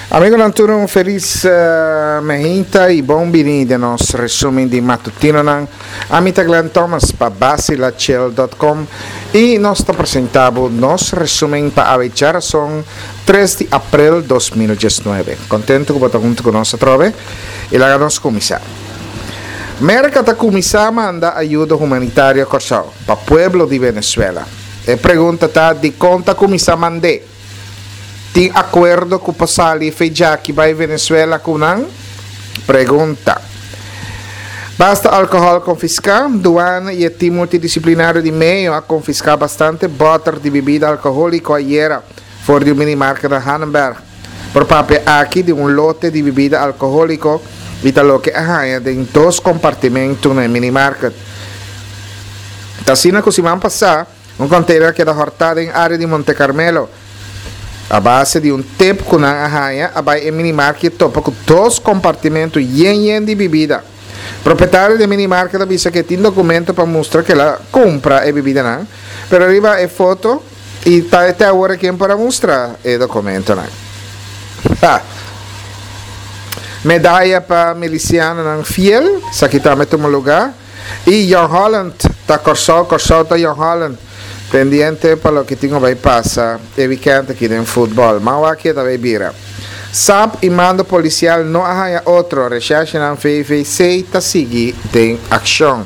Amigonan tur un felis mehinta y bon bini den nos resumen di matutinonan. Ami ta Glenn Thomas pa Basilachel dot com y nos ta presenta bo nos resumen pa awe djarason tres di april 2019. Contento cu bo ta hunto cu nos atrobe y laga nos cuminsa. Merca ta cuminsa manda ayudo humanitario Corsou pa pueblo di Venezuela. E pregunta ta dicon ta cuminsa mand'e? Tin akuerdo ku pa sali fe djaki bai Venezuela ku nan? Pregunta. Basta alkohòl konfiská, Duana i e tim multidisiplinario di Meo a konfiská bastante bòter di bibida alkohóliko ayera for di un minimarket na Hanenberg. Por papia aki di un lote di bibida alkohóliko i ta loke a haña den dos kompartimentu na e minimarket. Ta asina ku siman pasá, Un container a keda hortá den área di Monte Carmelo. A base di un tip ku nan a haña, a bai e minimarket i a topa ku dos kompartimentu yen yen di bibida. Propietario di e minimarket a bisa ku e tin dokumento pa mustra ku el a kumpra e bibidanan, pero riba e foto i ta te awor e ken por a mustra e dokumentonan. Ha! Medaya pa milisianonan fiel, esaki tambe tuma lugá. Y Jong Holland ta Corsou, Corsou ta Jong Holland. Pendiente pa loke tin cu bay pasa e weekend aki den futbol. Man wak ke ta bay bira. Sap y mando policial no a haya otro, recherchenan VVC ta sigui den accion.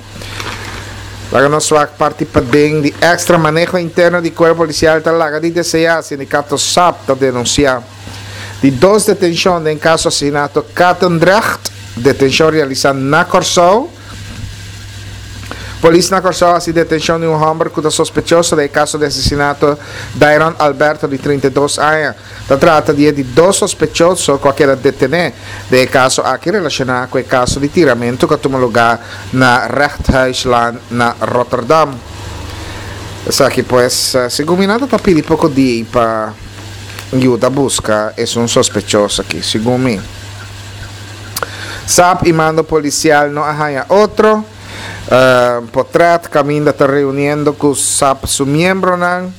Laga nos wak parti paden di extra maneho interno di cuerpo policial ta laga di desea, sindicato sap ta denuncia. Di dos detencion den caso asesinato Katendrecht, detencion realisa na Corsou. Polis na Kòrsou a hasi detenshon di un hòmber ku ta sospechoso den e kaso di asesinato Dairon Alberto di 32 aña. Ta trata di e di dos sospechoso ku a keda detené den e kaso aki relashoná ku e kaso di tiramentu ku a tuma lugá na Rechthuislaan na Rotterdam. Esaki pues, segun mi nan ta ta pidi poko di pa yuda buska esun sospechoso aki, segun mi. Sap y mando policial no a haya otro. Potret caminda ta reuniendo cu sap su miembronan.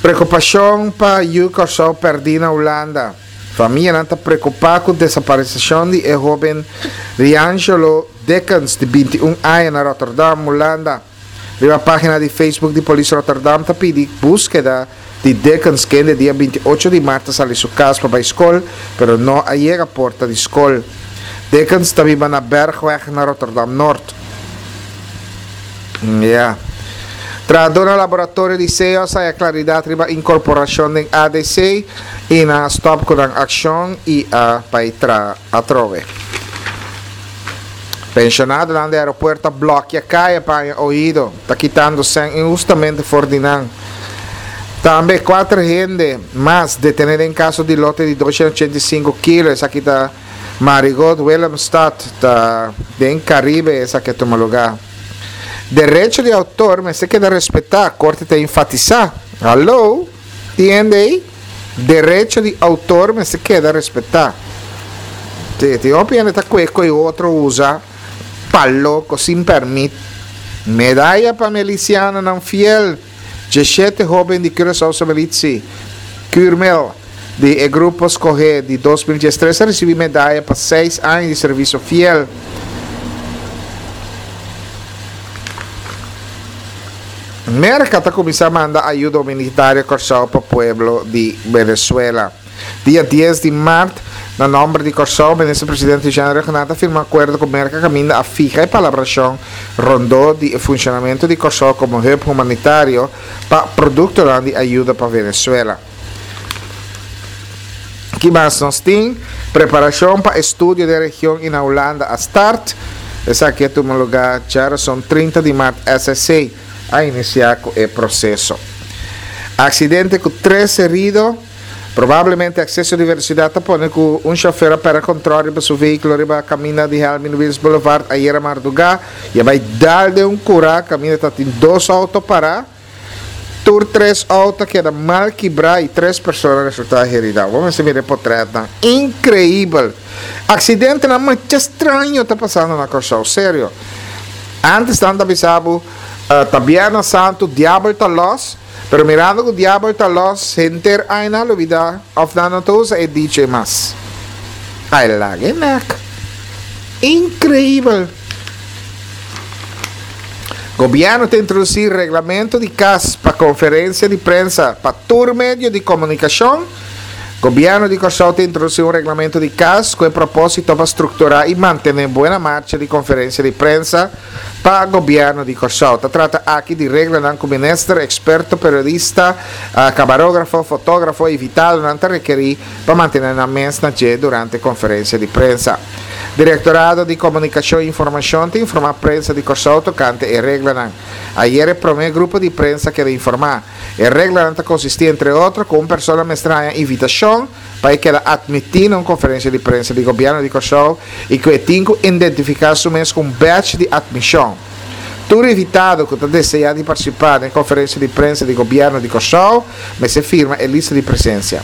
Preocupacion pa yu Corsou perdi na Hulanda. Famianan ta preocupa cu desaparecion di e hoben Riangelo Dickens di 21 aña na Rotterdam, Hulanda. Riba página di Facebook di Polis Rotterdam ta pidi búskeda di Dickens kende dia 28 di mart a sali su kas pa bai skol, pero no a yega porta di skol. Dickens ta biba na Bergweg na Rotterdam Noord. Ya. Trahadó na laboratorio di seo a saya klaridat riba inkorporashon den ADC i nan a stòp ku nan akshon i a bai traha atrobe. Pensionadonan di aeropuerto a blòkia kaya pa haña oido, ta kitando sèn inhustamente for di nan. Tambe kuater hende mas detené den kaso di lote di 285 kilo, esaki ta Marigot, Willemstad, ta den Karibe esaki a tuma lugá. Derecho di outor mester keda respetá, korte ta enfatisá. Hallo! Tin hende ei? Derecho di outor mester keda respetá. Sí, tin hopi hende ta kue koe otro usa pa loko sin pèrmit. Medaya pa milisianonan fiel, Djeshete hóben di Curaçaose Militie, Curmil, di e grupo skohé di 2013 a risibí medaya pa seis aña di servisio fiel. Merka ta kuminsá manda ayuda humanitario Kòrsou pa pueblo di Venezuela. Dia dies di mart, na nòmber di Kòrsou, Minister Presidente Jean Rhuggenaath a firma akuerdo ku Merka kaminda a fiha e palabrashon rondó di e funshonamentu di Kòrsou komo hub humanitario pa produktonan di ayuda pa Venezuela. Ki mas nos tin? Preparashon pa estudio den region i na Hulanda a start. Esaki a tuma lugá djarason 30 di mart SSC a inisiá ku e proseso. Aksidente ku tres herido, probablemente akseso di velosidat ta pone ku un shofer a pèrdè kontròl riba su vehíkulo riba kaminda di Helmin Wiels Boulevard ayera mardugá i a bai dal den un kurá kaminda ta tin dos outo pará. Tur tres auto a keda mal kibrá i tres persona a resultá heridá. Bo mester mira e potretnan. Inkreibel! Aksidentenan masha straño ta pasando na Kòrsou, serio. Ántes nan ta bisa bo, ta Bierna Santu, diabel ta lòs, Pero mirando ku diabel ta lòs, henter aña a lubidá òf nan no ta usa e dicho ei mas. Ai laga e nek. Inkreibel! Gobièrnu ta introdusí reglamento di kas pa konferensia di prensa pa tur medio di komunikashon. Gobièrnu di Kòrsou ta introdusí un reglamento di kas ku e propósito pa strukturá i mantené buena marcha di konferensia di prensa pa gobièrnu di Kòrsou. Ta trata aki di reglanan ku minister, eksperto, periodista, kamarógrafo, fotógrafo i invitadonan ta rekerí pa mantené nan mes na dje durante konferensia di prensa. Direktorado di Komunikashon i Informashon ta informá prensa di Kòrsou tokante e reglanan. Ayer e promé grupo di prensa keda informá. E reglanan ta konsistí entre otro ku un persona mester haña invitashon pa e keda atmití na un konferensia di prensa di gobièrnu di Kòrsou i ku e tin ku identifiká su mes ku un badge di atmishon. Tur invitado ku ta deseá di partisipá den konferensia di prensa di gobièrnu di Kòrsou mester firma e lista di presensia.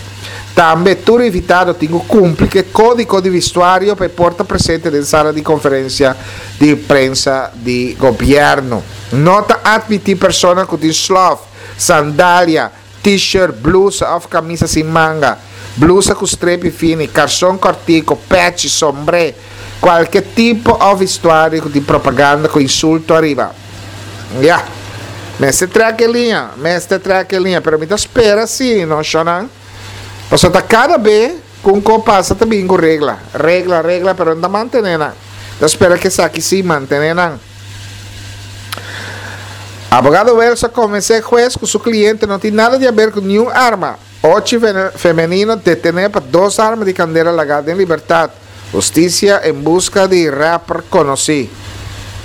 Tambe tur invitado tin ku kumpli ku e kódigo di vistuario pa e por ta presente den sala di konferensia di prensa di gobièrnu. No ta atmití persona ku tin slòf, sandalia, T-shirt, blusa òf kamisa sin manga, blusa ku strepi fini, karson kòrtiku, pèchi, sombré, kualke tipo òf vestuario ku tin propaganda ku insulto ariba. Ya. Mester trèk e liña, mester trèk e liña, pero mi ta spera si no shònan, pasobra ta kada be ku un kos pasa ta bin ku regla, regla, regla, pero no ta mantené nan. Ta spera ku esaki si mantené nan. Abogado Wells a konvensé hues ku su kliente no tin nada di aber ku niun arma. Ochi femenino detené pa dos arma di kandela lagá den libertat. Hustisia en buska di rapper konosí.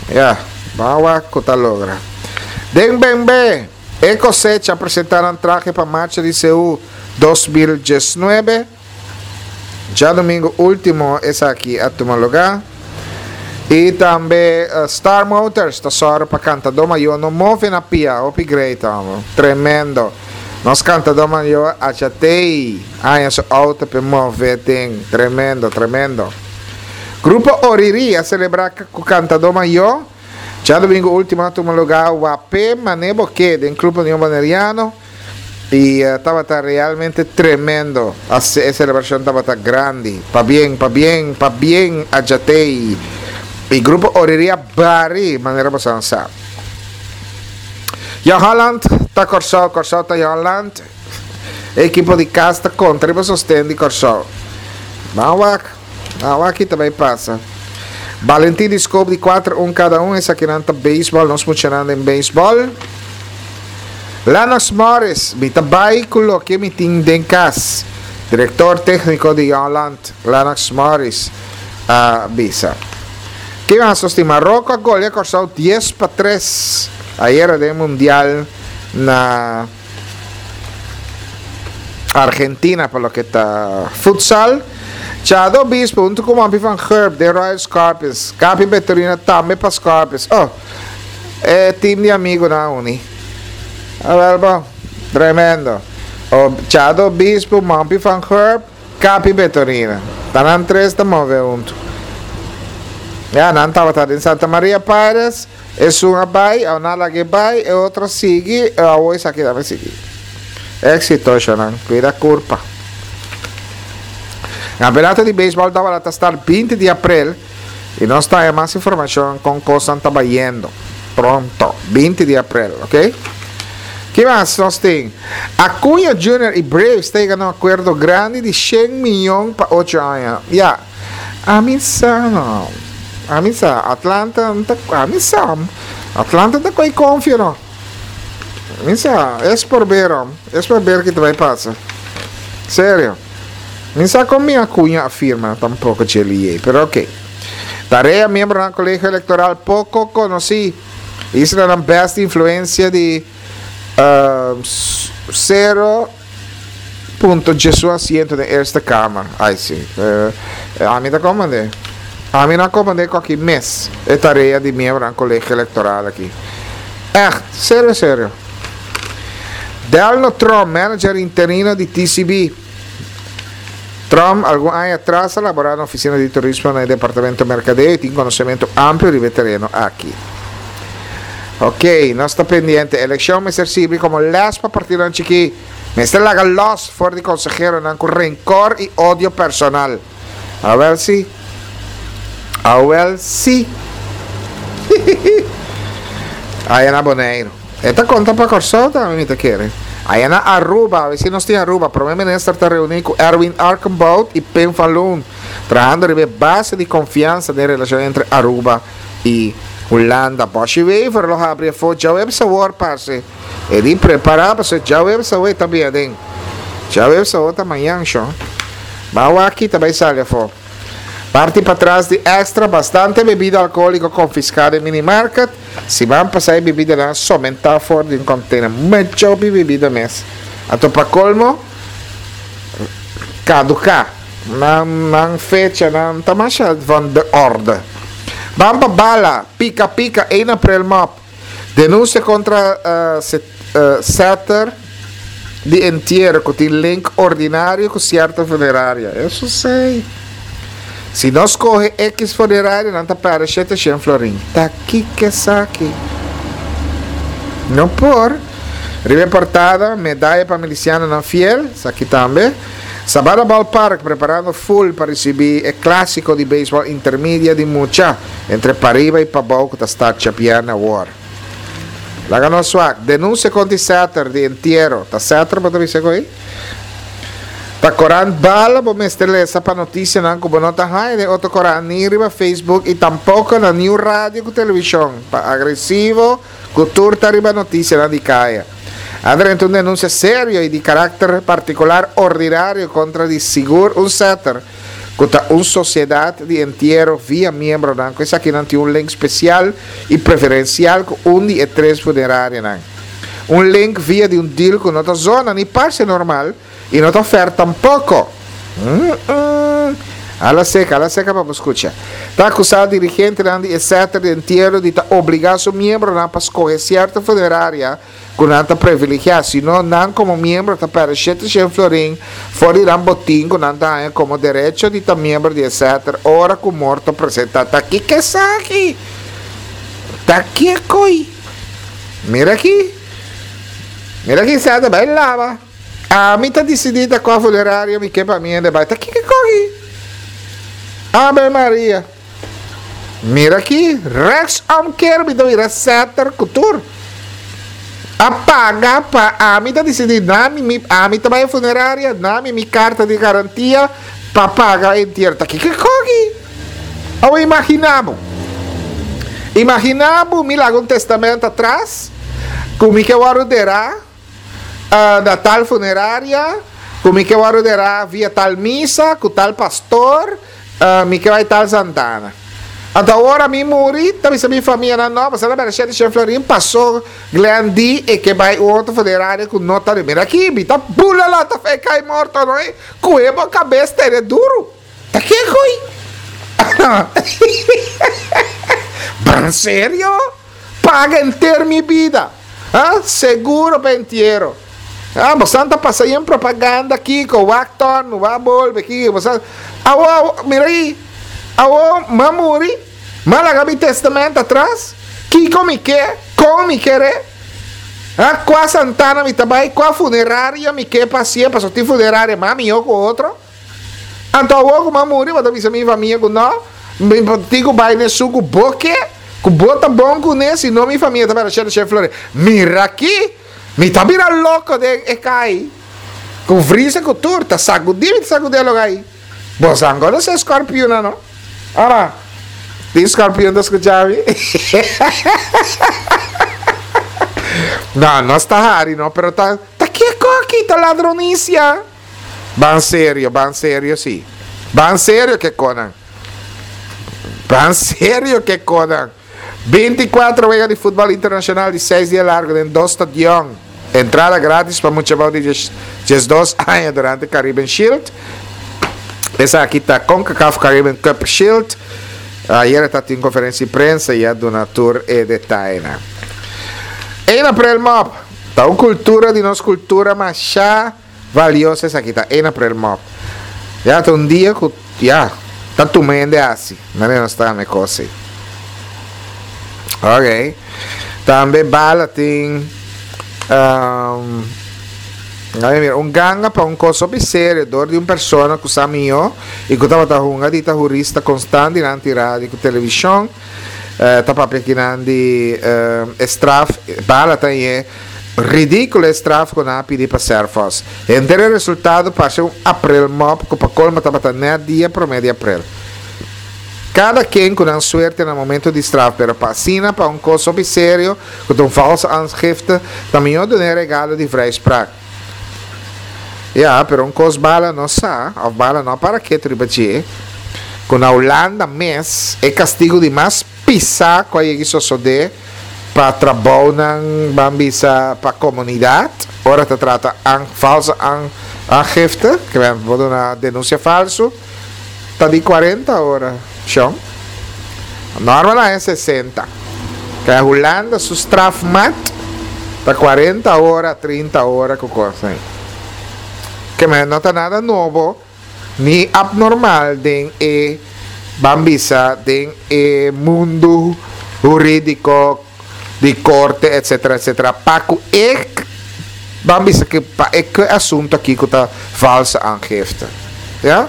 Ya, ban wak ku ta logra. Den Bembe, e kosecha a presentá nan trahe pa marcha di Seú 2019. Djadomingo ultimo esaki a tuma lugá. I tambe Star Motors ta sòru pa kantadó mayó no move na pia. Hopi great amo. Tremendo. Nos kantadó mayó a chatei haña su outo p'e move den. Tremendo, tremendo. Grupo Oriri a selebrá ku kantadó mayó. Djadomingo ultimo a tuma lugá Wapé Mané Boké den Club Union Boneriano. Y tabata realmente tremendo. E celebracion tabata grandi. Pabien, pabien, pabien a Jatey. Y Grupo Oriri a bari, manera boso a sa. Jong Holland ta Corsou, Corsou ta Jong Holland. E ekipo di cas ta contra riba sosten di Corsou. Ban wak, ban wak ki ta bay pasa. Valentin di Scope di 4 un cada un. Esakinan ta baseball, nos muchanan den baseball. Lennox Morris, Mi ta bai ku loke mi tin den kas, direktor tékniko di Jongland, Lennox Morris, a bisa. Ki mas nos tin? Maroko a golia Kòrsou 10-3 ayera den Mundial na Argentina pa loke ta futsal. Chado Obispo huntu ku Mompy van Gurp den Royal Scorpions. Gaby Betorina tambe pa Scorpions. Oh! E team di amigunan a uni. Awel bon. Tremendo. O Chado Obispo, Mompy van Gurp, Capi Betorina. Ta nan tres ta move huntu. Ya, nan tabata den Santa Maria Pirates. Esun a bai, a nan lag'é bai, e otro a sigui, e awo esaki tambe sigui. Éxito, shonan. Cuida curpa. Campeonato di beisbol tabata ta start 20 di aprel. Y nos ta haya mas informacion con cosnan ta bayendo pronto, 20 di april, ok? Ki mas nos tin? Acuña Junior y Braves ta yega na un acuerdo grandi di 100 miyon pa 8 aña. Ya, ami sa no. Ami sa, Atlanta no ta, ami sa, Atlanta ta coy confia no. Mi sa, es por ver, hom. Es por ver ki ta bay pasa. Serio. Mi sa con mi Acuña a firma tampoco dje pero ok. Tarea miembronan Colegio Electoral poco conoci. Islanan best influencia di cero punto djesun asiento den Eerste Kamer. Ay si. Ami ta comprende. Ami no a comprende cu aki mes e tarea di miembronan Colegio Electoral aki. Echt, serio serio. Delno Tromp, manager interino di TCB. Tromp algun aña atras a labora na oficina di turismo na e departamento mercadeo y tin conocemento amplio riba e tereno aki. Ok, nos ta pendiente. Elekshon mester sirbi komo lès pa partidonan chikí. Mester laga lòs for di konseheronan ku renkor i odio personal. Awèl si. Awèl si. Aya na Boneiru. E ta konta pa Kòrsou tambe mi ta kere. Aya na Aruba, awe si nos tin Aruba, Prome Minister ta reuní ku Erwin Arkenbout i Pim van Loon, trahando riba e base di konfiansa den relashon entre Aruba i Hulanda. Boshy Wever lo habri afó djaweps awor parse. E di prepara pasobra djaweps awor e ta bin aden. Djaweps awor ta mañan shon. Ban wak ki ta bai sali afó. Parti patras di Extra bastante bebida alkoholiko konfiská den minimarket. Siman pasá e bebidanan a somentá for di un kontener. Mucho hopi bebida mes. Anto pa kolmo kaduká. Nan nan fechanan ta masha van de orde. Ban pa bala, pika pika, 1 april mop. Denunsia kontra setter di entiero ku tin link ordinario ku sierto funeraria. Eso sei. Si nos kohe X funeraria nan ta pèrdè 700 florin. Ta kiko esaki? No por. Riba e portada, medaya pa milisianonan fiel, esaki tambe. Sabana Ballpark preparando full pa ricibi e clasico di baseball intermedia di mucha entre pariba y pabou cu ta start djabierne awor. Laga nos wak. Denuncia contra di Setter di entiero. Ta Setter bo ta bisa cu ey? Ta corant bala bo mester lesa pa noticianan cu bo no ta haya den otro corant ni riba Facebook y tampoco na niun radio cu television pa agresivo cu tur ta riba noticianan di caya. A drenta un denuncia serio y di caracter particular ordinario contra di sigur un setter cu ta un sociedad di entiero via miembronan cu esakinan tin un link special y preferencial cu un di e tres funerarianan. Un link via di un deal cu no ta zona ni parce normal y no ta fair tampoco. Mm-mm. Ala seca, ala seca pa bo scucha. Ta acusa dirigentenan di e setter di entiero di ta obliga su miembronan pa scoge cierto funeraria cu nan ta privilegia, si no nan como miembro ta perde 700 florin for di nan botin cu nan ta haña como derecho di ta miembro di e setter ora cu morto presenta. Ta kico esaki? Ta kico? Mira aki. Mira aki setter bay laba. Ami ta disidí ta kua funeraria mi ke pa mi hende bai. Ta kiko kogi? Ave Maria. Mira aki, rechts omkeer mi ta bira setter ku tur. A paga pa ami ta disidí nami mi ami ta bai e funeraria, nami mi karta di garantia pa paga entiero. Ta kiko kogi? Awe imagina bo. Imagina bo mi laga un testamento atras ku mi ke wòrdu derá. na tal funeraria, ku mi ke wòrdu derá via tal misa, ku tal pastor, mi ke bai tal santana. Anto ora mi muri, ta bisa mi famianan, no, pasobra na bèrdè shete shen florin pasó Glenn di e ke bai un otro funeraria ku no ta di. Mira aki, mi ta bula lanta fe kai morto no e, kuhe bo kabes tene duru. Ta kiko ei? Ban serio? Paga enter mi bida. Ha? Seguro pa entiero. Ha? Bosan ta pasa yen propaganda kiko, wak torno, wak bolbe kiko, bosan. Awo, awo, mira ahi. Awo, m'a muri, m'a laga mi testament atras. Kiko mi ke? Kon mi kere? Ha? Kua santana mi ta bai? Kua funeraria mi ke pa hacié? Pasobra tin funeraria mas mihó ku otro. Anto awor ku m'a muri, bo ta bisa mi famia ku no, mi tin ku bai n'esun ku bo ke, ku bo ta bon kuné, si no mi famia ta bira shete shete flore. Mira aki! Mi ta bira loko den e kai. Ku vrisa ku tur, ta sagudí mi ta sagudí e lugá ei. Boso a konosé skorpiunnan, no? Ora, tin skorpiun ta skuchá mi? No, nos ta hari no, pero ta, ta kiko aki? Ta ladronisia. Ban serio, ban serio si. Ban serio ke konan. Ban serio ke konan. 24 wega di futbol internacional di 6 dia largo den dos stadion. Entrada gratis pa mucha bou di 12 aña durante Caribbean Shield. Esaki ta CONCACAF Caribbean Cup Shield. Ayer ta tin conferencia di prensa y a duna tur e detayenan. 1 april mop. Ta un cultura di nos cultura masha valioso esaki ta 1 april mop. Ya ta un dia cu ya ta tuma hende haci. Manera nos ta hame cos ey. Ok. Tambe bala tin um, mira, un ganga pa un kos hopi serio dor di un persona ku sa mihó i ku tabata hunga di ta hurista konstant dilanti radio ku televishon. Eh, ta papia kinan di eh, e straf, bala ta e ridíkulo e straf ku nan a pidi pa Serphos. Henter e resultado parse un aprilmop ku pa kolmo tabata nèt dia promé di aprel. Kada ken ku nan suerte na momento di straf, pero pa asina pa un kos hopi serio ku ta un valse aangifte, ta mihó duna e regalo di vrijspraak. Ya, pero un kos bala no sa, òf bala no a para ketu riba dje, ku na Hulanda mes e kastigu di mas pisá ku a yegi sosodé pa trabounan ban bisa pa komunidat ora ta trata an valse aangifte, ke men por duna denunsia falsu. Ta di cuarenta ora, shon. Normal a e sesenta. Kaya Hulanda su strafmaat ta cuarenta ora, trinta ora cu cos ahi. Ke men no ta nada nobo ni abnormal den e, ban bisa, den e mundu huridico di corte etcetera etcetera pa cu e ban bisa cu pa e cu e asunto aki cu ta valse aangifte ya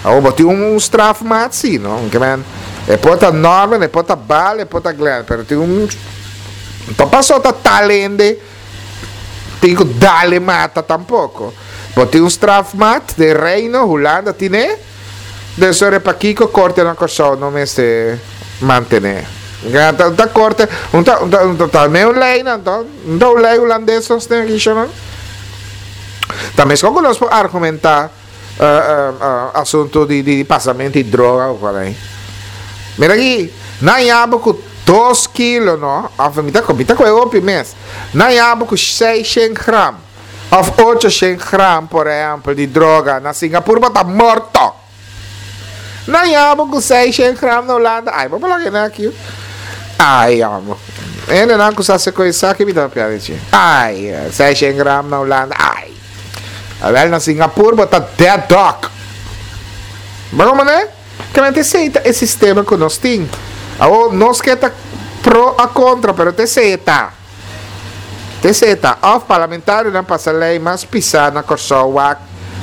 awor bo tin un strafmaat si no ke men e por ta Norman e por ta Bal e por ta Glenn pero tin un no paso ta tal hende tin cu dale mata tampoco bo tin un strafmaat den reino Hulanda tine. Den sore pakiko korte na Kòrsou no mester mantené? Ta ta korte, un ta un ta un ta ta ne un lei nan to, un ta un lei hulandes nos tin aki shon nan. Ta meskos ku nos por argumentá asuntu di di pasamentu di droga ku kos ahí. Mira aki, nan yaba ku dos kilo no, òf mi ta mi ta kohe hopi mes, nan yaba ku seishent gram. Of ocho shen gram, por ehempel, di droga na Singapur bo ta morto. Nan yama ku seis shen gram na Hulanda, ay bo por laga hende aki. Ay amo. Hendenan ku sa hasi ku esaki mi ta papia di dje. Ay, seis shen gram na Hulanda, ay. Awel na Singapur bo ta dead dog. Bo komo ne? Kamente esei ta e sistema ku nos tin. Awor nos ke ta pro a kontra, pero ta esei e ta. T'esei ta, òf parlamentarionan pasa lei mas pisá na Kòrsou wak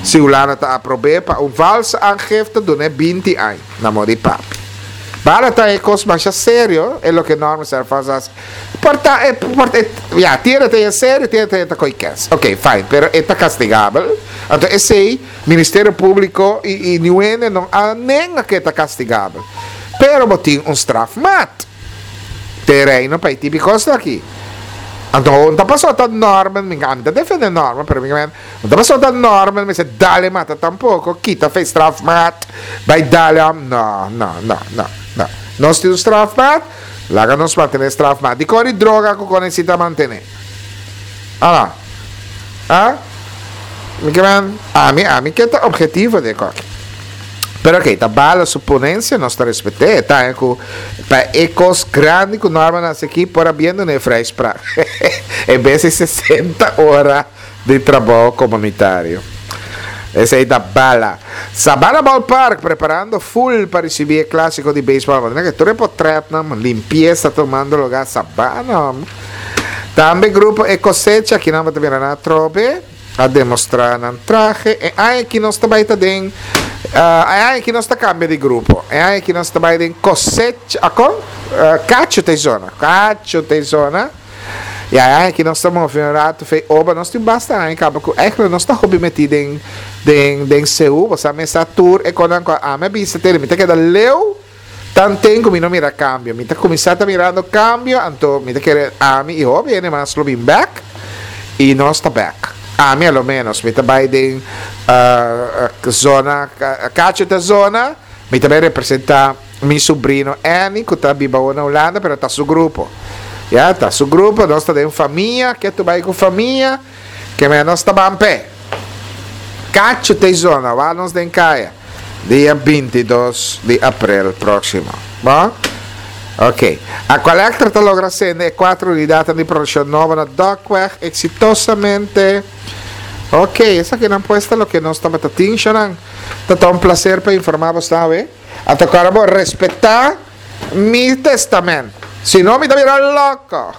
si Hulanda ta aprob'é pa un valse aangifte dun'é 20 aña, na modi papi. Bala ta e kos masha serio e loke Norman Serphos a hasi. Por ta e por e ya tiene ta e serio tiene ta e ta ko'i kens. Ok fine pero e ta kastigabel. Anto esei Ministerio Públiko i i niun hende no a nenga ku e ta kastigabel. Pero bo tin un strafmaat. Te reino pa e tipi kos aki. Anto un ta pasó ta Norman, mi ami ta defende Norman, pero mi un ta pasó ta Norman mester dale mata tampoko, kita fe strafmaat, bai dale am, no, no, no, no, no. Nos tin un strafmaat, laga nos mantené strafmaat. Dikon di droga ku kon esita mantené? Ala. Ah? Mi ke men, ami, ami ke ta objetivo den koki. Pero ok, ta bala su ponencia, nos ta respet'é. E ta ku pa e kos grandi ku Norman hasi aki por a bien dun'é vrijspraak. En bes di 60 ora di trabou komunitario. Esei ta bala. Sabana Ballpark preparando full pa risibí e klasiko di beisbòl. Bo ta mira ke tur e potretnan, limpiesa tumando lugá Sabana. Tambe grupo E Cosecha, kinan bo ta mira nan atrobe, a demostra nan trahe. E aña aki nos ta bai ta den, e aña aki nos ta cambia di grupo. E aña aki nos ta bai den Cosecha, akon? Cacho ta e zona, Cacho ta e zona. Ya, e aña aki nos ta move un rato fe oba, nos tin basta aña caba cu eigenlijk nos ta hopi meti den, den, den Seú. Bo sa mesa tur e konan cu ami a bisa tene, mi ta keda leu. Tanten ku mi no mira kambio. Mi ta kuminsá ta mirando kambio, anto mi ta kere ami i hopi hende mas lo bin bèk, i nos ta bèk. Ami a lo ménos, mi ta bai den zona, Cacho ta zona, mi ta bai representá mi subrino Anny ku ta biba awor na Hulanda, pero ta su grupo. Ya, ta su grupo, nos ta den famia, ke tu bai ku famia, ke ménos ta ban p'e. Cacho ta e zona, wak nos den kaya. Dia 22 di aprel próksimo. Bon? Ok. Aqualectra ta logra sende e kuater unidatnan di produkshon nobo na Dokweg eksitosamente. Ok, esakinan pues ta loke nos tabata tin, shonnan. Ta ta un plaser pa informá bos awe. A toka ora bo respetá mi testament. Si no mi ta bira loko.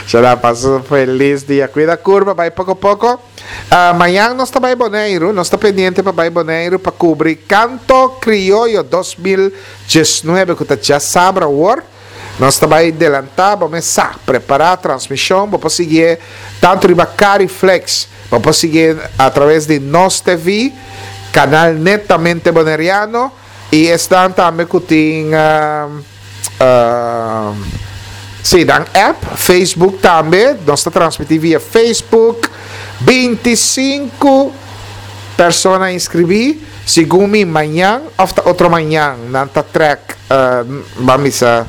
Shana pasa un felis dia. Cuida curva, bai poco poco. Ah, mañan nos ta bai Boneiru, nos ta pendiente pa bai Boneiru pa cubri Canto Criollo 2019 cu ta djasabra awor. Nos ta bai delanta, bo mes sa, prepara transmision, bo por siguié tanto riba Cariflex, bo por siguié a traves di Nos TV, canal netamente boneriano, y esnan tambe cu tin, si, nan app, Facebook tambe, nos ta transmiti via Facebook, 25 persona inscribi, segun mi mañan of ta otro mañan nan ta trek. Ban bisa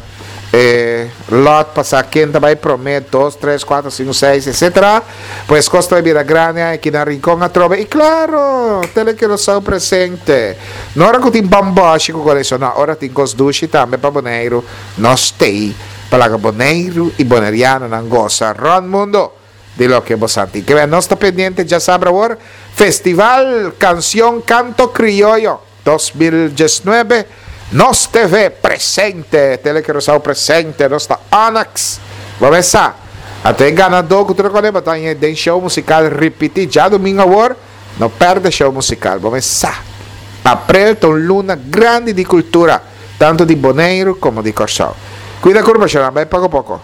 e lot pa sa ken ta bai prome, dos, tres, kuater, sinku, seis, etcetera. Pues kos ta bai bira grandi aki na Rincon atrobe. I klaro, Tele Curaçao presente. No ora ku tin bòmbòshi ku koreso, no, ora tin kos dushi tambe pa Boneiru, nos t'ei pa laga Boneiru i bonerianonan gosa rònt mundo di loke bo sa tin. Ke nos ta pendiente djasabra awor, Festival Kansion Kanto Krioyo. 2019 Nos TV presente, Tele Curaçao presente, nos ta Onyx. Bo mes sa, anto e ganadó ku tur kone bo ta haña den show musikal ripití djadumingu awor, no pèrdè show musikal, bo mes sa. Aprel ta un luna grandi di kultura, tantu di Boneiru komo di Kòrsou. Kuida kurpa, shornan, bai poko poko.